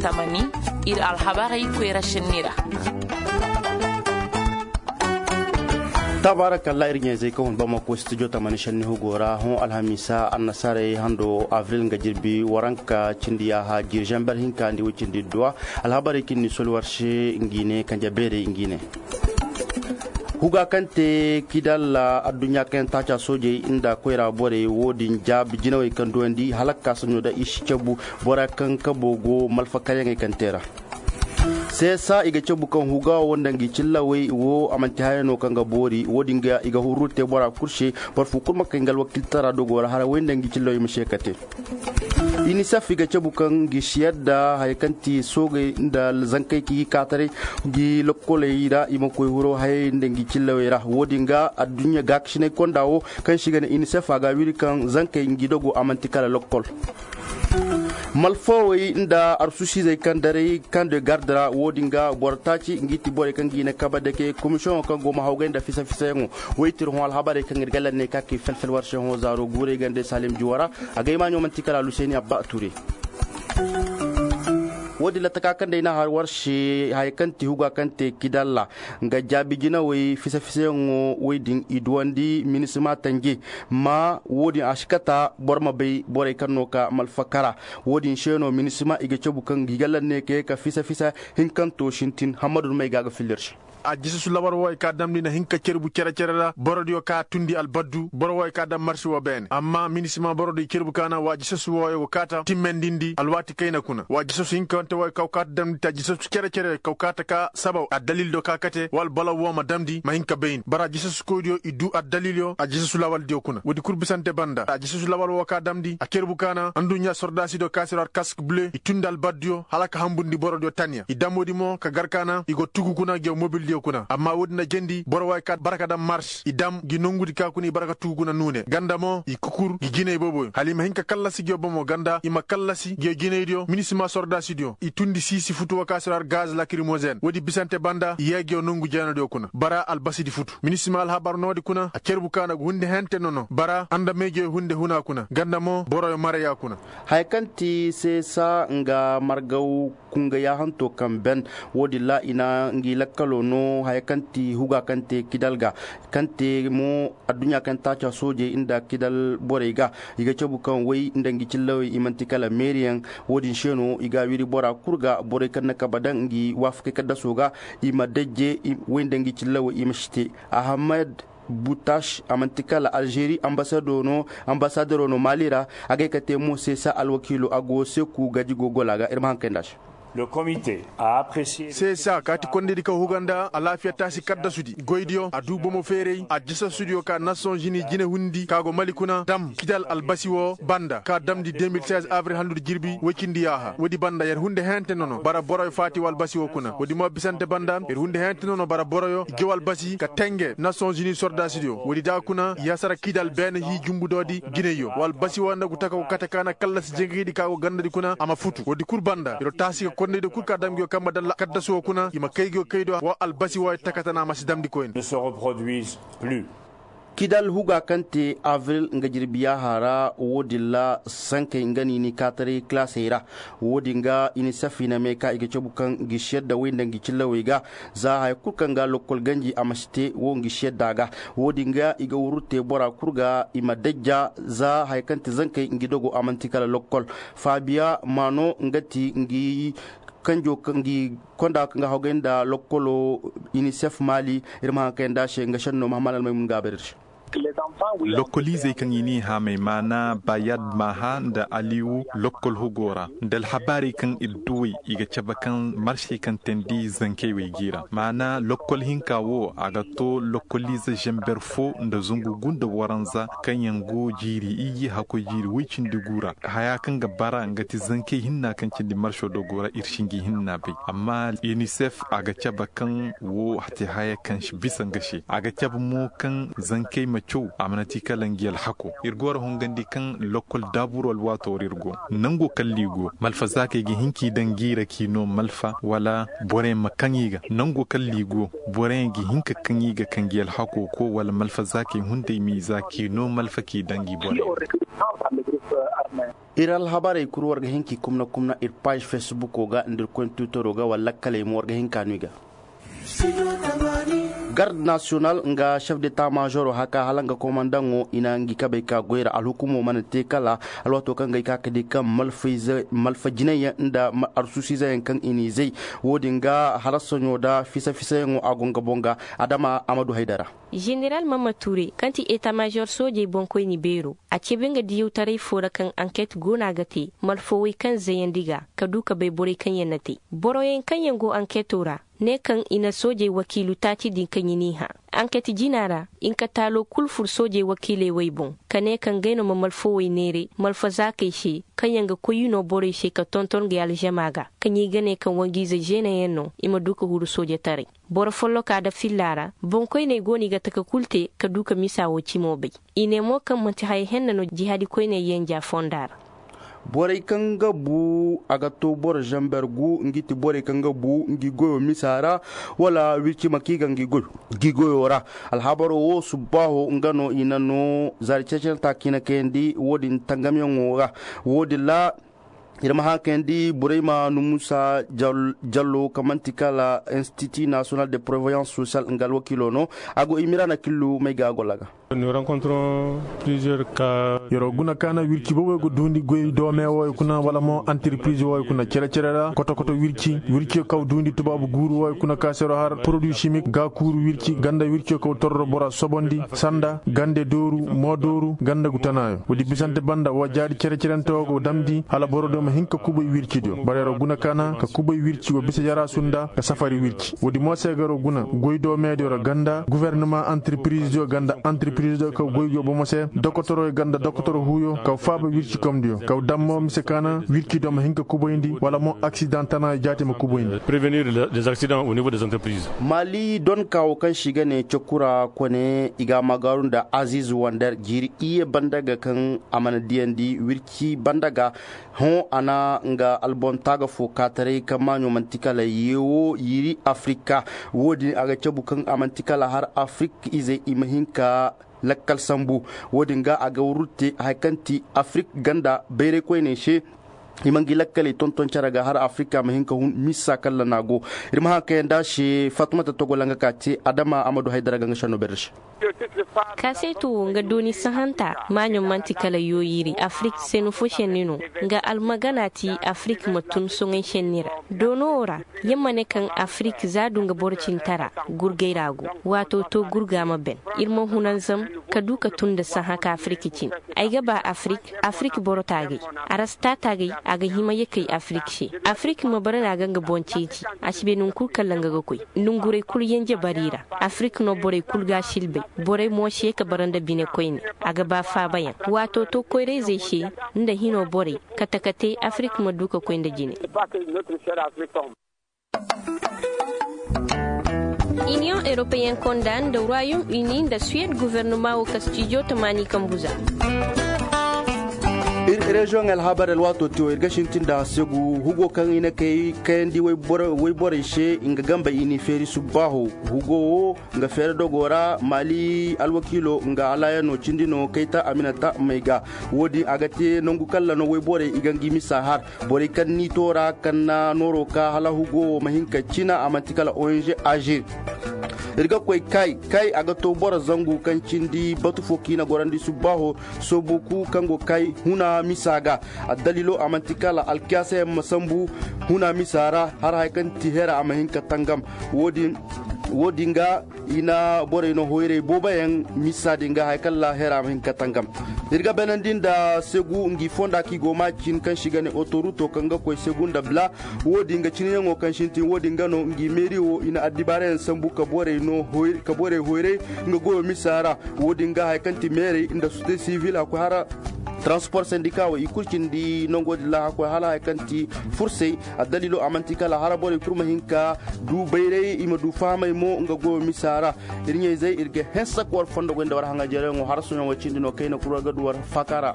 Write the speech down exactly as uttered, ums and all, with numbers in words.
Tamani, iri alhabarey koyra senni ra. Tabaarakallah, iri ɲayzey kaŋ hun bamako studio tamani senni hugo ra hõ alhamiisa annasaarey hando avril nga jirbi waranka cindi yaaha jiiri zamber hinka nda way cindi duwa. Alhabarey kaŋ ni soli war se ngi ne kanja beerey ngi ne. Huga kaŋ te kidalla adduɲɲa kaŋ yaŋ taaca soojey nda koyra borey wo-din jaabi jinawey kaŋ duwandi hala ga ka saɲo da i si cabu bora kaŋ kabo go malfakaryaŋey kaŋ te ra. Seesa i ga cabu kaŋ huga wo nda ngi cillawey wo a manti haya no kaŋ ga boori wo-din ga i ga hurru te bora kulu se. Boro fo kulu ma kay nga alwakiltara dogo ra hara way nda ngi cillawey ma se ka te. Inisef i ga cabu kaŋ ngi si yadda haya kaŋ ti soogey nda zankey kaŋ i ga kaataray ngi lokkoley ra i ma koy huro hayey nda ngi cillawey ra wo-din ga adduɲɲa gaakasinay konda wo kaŋ se i ga ne inisef a ga a wiri kaŋ zankey ngi dogo a manti kala lokkol. Malfawey nda arsusizey kaŋ daray kaŋ de garde ra wo-din ga boro taaci ngi ti borey kaŋ ga i na kabe dake komisiyoŋo kaŋ go ma hawgay nda fisa-fisayaŋo. Waytir hõ alhabarey kaŋ iri ga lanne ka kay fel-fel war se hõ zaaro guurey gande salim juwa ra. A gay maaɲo manti kala aluseni abba a ture. Wo-din lattaka kaŋ day no a har war se haya kaŋ ti huga kaŋ te kidalla nga jaabi jinawey fisa-fisayaŋo way din i duwandi minisima tanje. Ma wo-din a si kata boro ma bay borey kaŋ no ka malfakara. Wo-din se no minisima i ga cabu kaŋ ngi ga lanne ka ye ka fisa-fisa hinkanto sintin hammadu no may ga ga filla iri se. A jisasu labar wo ay ka damndi na hinka cerbu cere-cere ra borodiyo ka tundi albaddu boro wo ay ka daŋ marsi wo beene amma minisima borodiyo cerbu ka naŋ wa jisasu wo ay go kaata timmendindi alwaati kayna kuna wa jisasu hinkante wo ay kaw kaata damndi ta jisasu cere-cere kaw kaata ka sabaw addalil do ka kate wala balaw wo ma damndi ma hinka bayni bara jisasu koydiyo i du addalilyo a jisasu lawaldiyo kuna woodi kulu bisante banda a jisasu lawal wo ka damndi a cerbu ka naŋ anduɲɲa sordaasidiyo ka si ra kask ble i tundi albaddiyo hala ka hambundi borodiyo tanya i dam woodi mo ka gar ka naŋ i go tugu kuna ngi mobildiyo kuna amma woodi na jendi boro wo ay ka barka daŋ mars i dam ngi nongudi ka kuna i barka tugu kuna nuune ganda mo i kukur ngi jinay booboyo hala i ma hin ka kallasi ngiyo bomo ganda i ma kallasi ngiyo jinaydiyo minisima sordaasidiyo i tundi siisi futu wo ka si ra gaz lakirimozen woodi bisante banda i ye ngiyo nongu jeenadiyo kuna bara albasidi futu minisima alhabar noodi kuna a cerbu ka na ga hunde hente nono bara andamey ngiyo hunde huna kuna ganda mo boroyo maraya kuna. Haya kaŋ ti seesa nga margaw kunga yaahanto kaŋ ben wo-din ra i na ngi lakkalo no haya kaŋ ti huga kaŋ te kidal ga kaŋ te mo adduɲɲa kaŋ taaca soojey nda kidal borey ga i ga cabu kaŋ way nda ngi cillawey i manti kala meeriyaŋ. Wo-din se no i ga a wiri bora kulu ga borey kaŋ na kabe daŋ ngi waafakey kaddaso ga i ma dajje way nda ngi cillawey i ma si te. Ahamad butash a manti kala alzeeri ambasadero no maali ra. A gay ka te mo seesa alwakiilo a go seeku gaji gogola ga iri ma haŋ kay nd'a se. Seesa kaati kondaydi kaŋ huga nda alaafiya taasi kaddasudi goydiyo a du bomo feeray a jisasudiyo ka nasonzini jine hundi ka go mali kuna dam kidal albasi wo banda ka damndi deux mille seize avril handu nda jirbi woy cindi yaaha woodi banda yer hunde hente no no bara boroyo faati wo albasi wo kuna woodi mo bisante banda yer hunde hente no no bara boroyo i jaw albasi ka tenge nasonzini sordaasidiyo woodi da kuna i hasara kidal beene hi jumbudoodi jinayyo wo albasi wo nda gu taka go kate ka na kallasi jengaydi ka go gandadi kuna a ma futu woodi kulu banda yer wo taasi ga kondaydiyo kulu ka dam nguyo kambe dalla kaddasu wo kuna i ma kay nguyo kaydiyo wo albasi wo yer takatana ma si damndi koyne. Kidal huga kaŋ te avril nga jirbi yaaha ra wo-din ra sankey nga no i n'i kaataray kalaasey ra. Wo-din ga inisef i na me ka i ga cabu kaŋ ngi si yadda way nda ngi cillawey ga za haya kulu kaŋ ga lokkol ganji a ma si te wo ngi si yadda a ga. Wo-din ga i ga wurru te bora kulu ga i ma dajja za haya kaŋ ti zankey ngi dogo a manti kala lokkol. Faabiya maano nga ti ngi kanjo ngi konda kaŋ ga hawgay nda lokkolo inisef maali. Iri ma haŋ kay nd'a se nga senno mahammad almaymun ga a bare iri se. Lokkoliizey kaŋ i n'i haamay maana bayad maaha nda aliwu lokkol hugo ra nda alhabaarey kaŋ iri duwey i ga cabe kaŋ marsey kaŋ teendi zankey wey g'i ra maana lokkol hinka wo a ga to lokkoliize zamber fo nda zangu gu nda waranza kaŋ yaŋ go jiiri iyye hakkoy jiiri woy cindi gu ra haya kaŋ ga bara nga ti zankey hinna kaŋ cindi marso do go ra iri si ngi hinna bay amma inisef a ga cabe kaŋ wo hate haya kaŋ si bisa nga se a ga cabe mo kaŋ zankey ma Caw a mana ti kala ngi alhako. Iri go ra hongandi kaŋ lokkol daaburo alwaato ra iri go. Nango kala i go malfa za kaŋ i ga hin k'i daŋ ngi ra k'i no malfa wala borey ma kaŋ i ga nango kala i go. Borey ga hin ka kaŋ i ga kaŋ ngi alhako ko wala malfa za kaŋ i hunday m'i za k'i no malfa k'i daŋ ngi borey. Iri alhabarey kulu war ga hin k'i kumna kumna iri paazi feesibuko ga nda iri koyne tiwitaro ga wala lakkaley mo war ga hin ka no i ga. Garde nasiyonal nga chef de ta maazoro haka hala nga komandaŋo i na ngi kabey ka goy ra alhukumo mana te kala alwaato kaŋ ga ay ka ga di kaŋ malfa jinay yaŋ nda arsuusiize yaŋ kaŋ i n'i zay. Wo- din ga halasaɲo nda fisa fisayaŋo a go nga boŋ ga adama a ma du haydara. Ženeral mamma ture kaŋ ti eta maazor soojey boŋkoyne beero a cabe nga diyawtaray fo ra kaŋ anket go no a ga te malfawey kaŋ zayandi ga ka du ka bay borey kaŋ yaŋ na te boroyaŋ kaŋ yaŋ go anketo ra. Ne kaŋ i na soojey wakiilu taaci din kaŋ i n'i hã anket jina ra. I na ka taalo kulu fur soojey wakiiley wey boŋ ka ne kaŋ ngey no ma malfawey neeray malfa zaakey se kaŋ yaŋ ga koy i no borey se ka tonton ngey alzama ga kaŋ i ga ne kaŋ wanjiize zeena yaŋ no i ma du ka huru soojetaray. Boro folloka nda filla ra boŋkoyney go no i ga taka kulu te ka du ka misa wo cimo bay. I ne mo kaŋ manti haya henna no jihaadi koyney yanja fonda ra. Borey kaŋ ga bu a ga to boro zamber gu ngi ti borey kaŋ ga bu ngi goyo misa ra wala wirci ma kaŋ i ga ngi goyo ra. Alhabaro wo subbaaho nga no i na no zaari ceecene ta kaŋ i na kayandi wo- din tangamyaŋo ra. Wo- din ra iri ma hã kayandi burayma numusa jallo kaŋ manti kala institut national de prévoyance sociale nga alwakiilo no. A go i mira na killu may ga a golla ga. Yaro guna kaana wirci boobey ga duundi goy doome wooyo kuna wala mo antirpiriz wooyo kuna cere-cere ra koto-koto wirci wirciyo kaw duundi tubaabu guuru wooyo kuna kaasero har poroduwi simik gaakuuru wirci ganda wirciyo kaw torro bora sobondi sanda gande dooru mo dooru ganda gu tanaayo woodi bisante banda wa jaari cere-cerente wo go damndi hala boro do ma hin ka kubay wirci diyo bara yaro guna kaana ka kubay wirci wa bisa yara sunda ka safari wirci woodi mo se garo guna goy do meediyo ra ganda guvernema antirpiriziyo ganda antirpiriziyo kaw goy go bomo se dokotoroyo ganda dokotoro huuyo kaw faaba wirci komdiyo kaw dammo mise kaana wirci do ma hin ka kubayndi wala mo aksidan tana jaati ma kubayndi. Maali don kaawo kaŋ se i ga ne cakura kone i ga a magaaru nda aziiz wander jiiri iyye banda ga kaŋ a mana diyandi wirci banda ga hõ a na nga albon taaga fo kaataray kaŋ maaɲo manti kala yeewo yiiri afirika. Wo- din a ga cabu kaŋ a manti kala har afirika izey i ma hin ka lakkal sambu. Wo- din ga a ga wurru te hari kaŋ ti afirika ganda bayray koyney se i ma ngi lakkaley tonton care ga har afirika ma hin ka hun misa kala no a go. Iri ma haŋ kayanda se fatumata togola nga ka te adama a ma du haydara ga nga senno bayray se. Kaaseeto wo nga dooni sahanta maaɲo manti kala yooyiri afirik senni fo senni no. Nga almagana ti afirik ma tun soŋay senni ra doono wo ra. Yer ma ne kaŋ afirik za du nga boro cintara gurgay ra go. Waato to gurga ma ben. Iri ma hunanzam ka du ka tun nda sahã ka afirik cine. Ay ga ba afirik afirik boro taagay. Arasta taagay a ga hima ye kay afirik se. Afirik ma bara no a ga nga boŋ ceeci. A si bay nangu kulu kaŋ ra nga ga koy. Nonguray kulu yanje bari ra. Afirik no borey kulu ga a silbay. Borey mo si ye ka bara nda bine koyne. A ga ba faabayaŋ waato to koyrayzey se nda hino borey kate-kate afirik ma du ka koy nda jine. Iniyoŋ eropeyen konda nda royaume uni nda suwed guvernoma wo kastijo tamaani kambu za. Iri reziyoŋ alhabar alwaato te wo iri ga sintin nda segu hugo kaŋ i na kay kayandi wayborey se nga gambey i n'i feeri subbaaho. Hugo wo nga feere dogo ra maali alwakiilo nga alaayano cindi no kayta aminata may ga. Wo- din a ga te nangu kalla no wayborey i ga ngi misa har borey kaŋ n'i to ra kaŋ na nooro ka hala hugo wo ma hin ka cina a manti kala ong agir. Iri ga koy kay kay a ga to boro zangu kaŋ cindi batu fo kaŋ i na gorandi subbaaho. Soobuku kaŋ go kay huna misa ga. Addaliilo a manti kala alkiyaasa yaŋ ma sambu huna misa ra har hari kaŋ ti hera a ma hin ka tangam. Wo- din ga i na borey no hoyray boobo yaŋ misa din ga hari kaŋ ra hera ma hin ka tangam. Iri ga beenandi nda segu ngi fonda kaŋ i go ma cin kaŋ se i ga ne otoruto kaŋ ga koy segu nda bla. Wo- din ga cine yaŋo kaŋ sintin wo- din ga no ngi meeri wo i na addibaara yaŋ sambu ka borey hoyray nga goyo misa ra. Wo- din ga hari kaŋ ti meerey nda sosiyete sivil a koy hara. Transport sendika wo i kulu cindi nango din ra hakkoy hala hari kaŋ ti fursay. Addaliilo a manti kala hara borey kulu ma hin ka du bayray i ma du fahamay mo nga goyo misa ra. Iri ɲayzey iri ga hanse ka war fondo goy nda war haŋajeerayaŋo hara sohõ yaŋo cindi no kayna kulu war ga du war faaka ra.